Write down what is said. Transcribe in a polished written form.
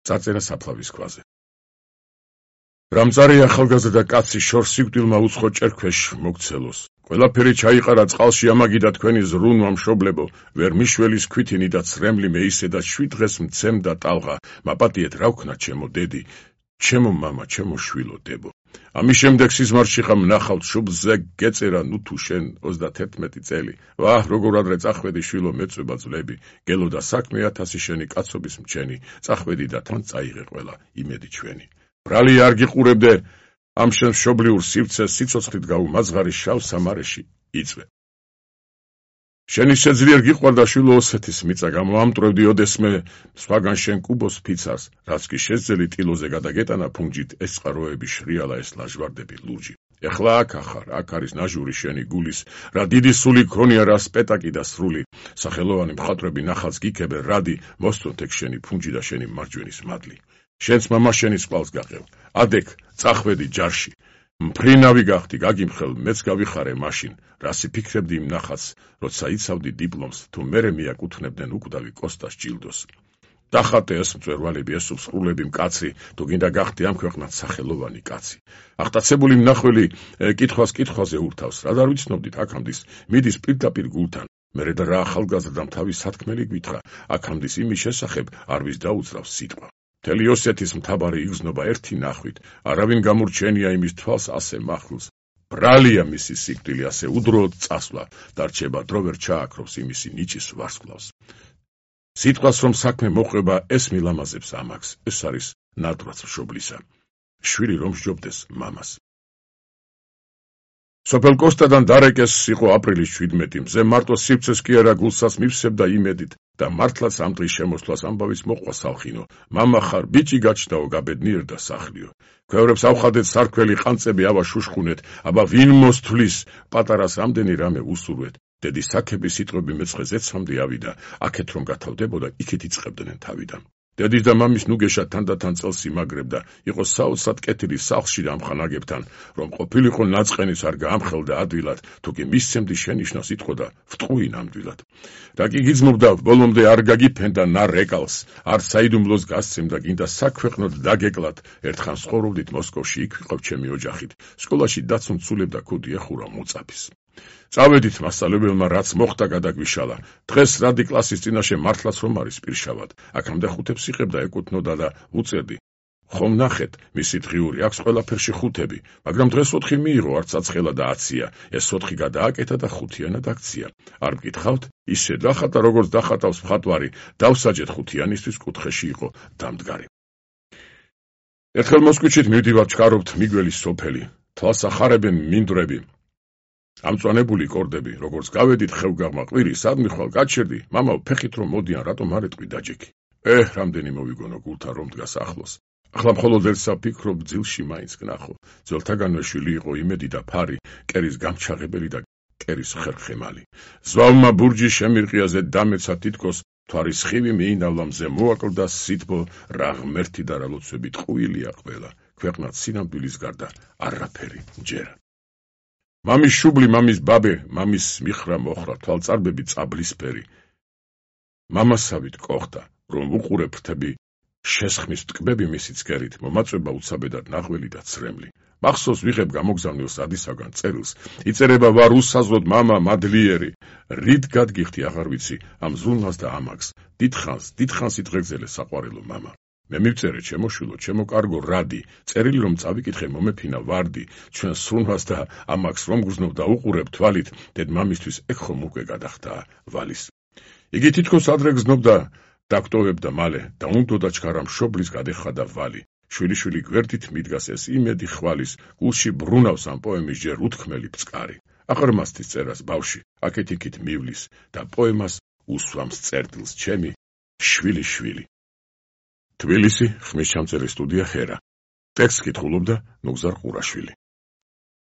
წარწერა საფლავის ქვაზე. რამწარი ახალგაზრდა კაცი შორს სიკვდილმა უცხო ჭერქვეშ მოგცელოს. ყველაფერი ჩაიყარა წყალში ამაგიდა თქვენი ზრუნვა მშობლებო, ვერ მიშველის ქვითინი და ცრემლი მეისე და 7 დღეს მცემდა ტალღა, მაპატიეთ რა ვქნა ჩემო დედი, ჩემო მამა, ჩემო შვილო დებო. ამის შემდეგ სიზმარში ხამ ნახავთ შუბლზე გეწერა ნუ თუ შენ 31 წელი. ვაჰ, როგორ ადრე წახვედი შვილო მეწვება ძლები, გელო და საქმე 1000 შენი კაცობის მჩენი, წახვედი და თან წაიღე ყველა იმედი ჩვენი. ბრალი არ გიყურებდე ამ შენ მშობლიურ სივრცეს სიცოცხლით გაუმაძღარი შავ სამარეში იწვე. შენი შეძლიერ გიყვარდა შვილო ოსეთის მიწა გამოამტრევდი ოდესმე სხვაგან შენ კუბოს ფიცარს, რაც კი შეძელი ტილოზე გადაგეტანა ფუნჯით ეს წყაროები შრიალა ეს ლაჟვარდები ლურჯი. ეხლა აქ ახარ, აქ არის ნაჟური შენი გულის, რა დიდი სული ქონია რა სპეტაკი და სრული, სახელოვანი მხატვრები ნახალს გიქებენ რადი, მოსწონთ ეგ შენი ფუნჯი და შენი მარჯვენის მადლი. შენს მამა შენის ყავს გაყევ, ადეკ წახვედი ჯარში, მფრინავი გახდი, გაგიმხელ, მეც გავიხარე მაშინ, რასი ფიქრებდი იმ ნახats, როცა იცავდი დიპლომს, თუ მერე მიაკუთვნებდნენ უკვდავი კოსტას ჯილდოს. დახატე ეს მწვერვალები, ეს უსრულები მკაცრი, თუ გინდა გახდი ამ ქვეყნად სახელოვანი კაცი. აღტაცებული მნახველი კითხვაზე ურთავს, რა არ ვიცნობდით აქამდის, მიდის პირდაპირ გულთან. მერე და რა ახალგაზრდამ თავის სათქმელი გვითხრა, აქამდის იმის შესახებ არ ვის დაუძრავს სიტყვა. მთელი ოსეთის მთავარი იგრძნობა ერთი ნახვით, არავინ გამურჩენია იმის თვალს ასე მახვილს. ბრალია მისი სიკვდილი ასე უდროოდ წასვლა, დარჩება დრო ვერ ჩააქრობს იმისი ნიჭის ვარსკვლავს. სიტყვას რომ საქმე მოყვება ეს მილამაზებს ამაგს, ეს არის ნატრაც მშობლისა. შვილი რომ სჯობდეს მამას. სოფელ კოსტადან დარეკეს იყო აპრილის 17, მზე მარტო სივრცეს კი არა გულსაც მივსებდა იმედით და მართლაც ამ დღის შემოსვლას ამბავის მოყვა სალხინო. მამა ხარ, ბიჭი გაჩნდაო, გაბედნიერდა სახლიო. ქვევრებს ავხადეთ სარქველი ყანწები ავა შუშხუნეთ, აბა ვინ მოსთვლის, პატარას რამდენი რამე უსურვეთ. დედის საქების სიტყვები მეწყე ზეცამდე ავიდა, აქეთ რომ გათავდებოდა, იქით იწყებდნენ თავიდან. დედის და მამის ნუგეშა თანდათან წელს იმაგრებდა, იყო საოცრად კეთილი სახლში ამხანაგებთან, რომ ყოფილიყო ნაწყენის არ გაამხელდა ადვილად, თუ კი მისცემდი შენიშნავს იტყოდა, ვტყუი ნამდვილად. რა კი გიძმობდა, ბოლომდე არ გაგიფენდა ნა რეკალს, არ საიდუმლოს გასცემდა, გინდა საქვეყნოდ დაგეკლათ, ერთხან ცხოვრობდით მოსკოვში, იქ ვიყავ ჩემი ოჯახით, სკოლაში დაცუნ ცულებდა ქუდი ეხურა მოწაფის. წავედით მასწავლებელმა რაც მოხდა გადაგვიშალა, დღეს რადი კლასის წინაშე მართლაც რომ არის პირშავად, აქამდე ხუთებს იღებდა ეკუთვნოდა და უწერდი. ხომ ნახეთ, მისი დღიური აქვს ყველაფერში ხუთები, მაგრამ დღეს 4 მიიღო, არც აცხელა და აცია, ეს 4 გადააკეთა და 5-იანად აქცია. არ მკითხავთ, ისე დახატა როგორც დახატავს მხატვარი, დავსაჯეთ 5-იანისთვის კუთხეში იყო დამდგარი. ერთხელ მოსკვიჩით მივდივარ ჩქარობთ მიგველის სოფელი, თვალს ახარებენ მინდვრები. ამწვანებული კორდები, როგორც გავედით ხევგაღმა ყვირი, სადმი ხვალ გაჩერდი, მამაო ფეხით რომ მოდიან, რატომ არ ეტყვი დაჯექი. რამდენი მოვიგონო გულთან რომ დგას ახლოს. ახლა მხოლოდ ერთს ვფიქრობ, ძილში მაინც გნახო. ძველთაგანვე შვილი იყო იმედი და ფარი, კერის გამჩაღებელი და კერის ხერხემალი. ზვავმა ბურჯი შემირყიაზე დამეცა თითქოს, თვარის ხივი მიინავლა მზე მოაკლდა სითბო, რა ღმერთი და რა ლოცვები ტყუილია ყველა. ქვეყნად სინამდვილის გარდა არაფერი მჯერა. მამის შუბლი, მამის ბაბე, მამის მიხრა მოხრა, თვალწარბები წაბლისფერი. მამასავით კოხდა, რომ უყურე ფრთები, შესხმის ტკბები მისი ცქერით, მომაწვება უცაბედად ნაღველი და ცრემლი. მახსოვს ვიღებ გამოგზავნილ სადისაგან წერილს, იწერება ვარ უსაზღოდ მამა მადლიერი, რით გადგიხდი აღარ ვიცი ამ ზრუნვას და ამაგს, დიდხანს იტყეგზელე საყვარელო მამა. მე მივწერე ჩემო შვილო, ჩემო კარგო რადი, წერილი რომ წავიკითხე მომეფინა ვარდი, ჩვენ სრუნვას და ამაგს რომ გრძნობ და უყურებ თვალით, დედ მამისთვის ეგ ხომ უკვე გადახდა ვალის. იგი თითქოს ადრე გრძნობდა დაგტოვებდა მალე და უნდოდა ჩქარა მშობლის გადეხადა ვალი. შვილი გვერდით მიდგას ეს იმედი ხვალის, გულში ბრუნავს ამ პოემის ჯერ უთქმელი ფწყარი. აყრმასთის წერას ბავში, აქეთ-იქით მივლის და პოემას უსვამს წერტილს ჩემი შვილი. თბილისი, ხმისჩამწერი სტუდია ხერა. ტექსტს კითხულობდა ნუგზარ ყურაშვილი.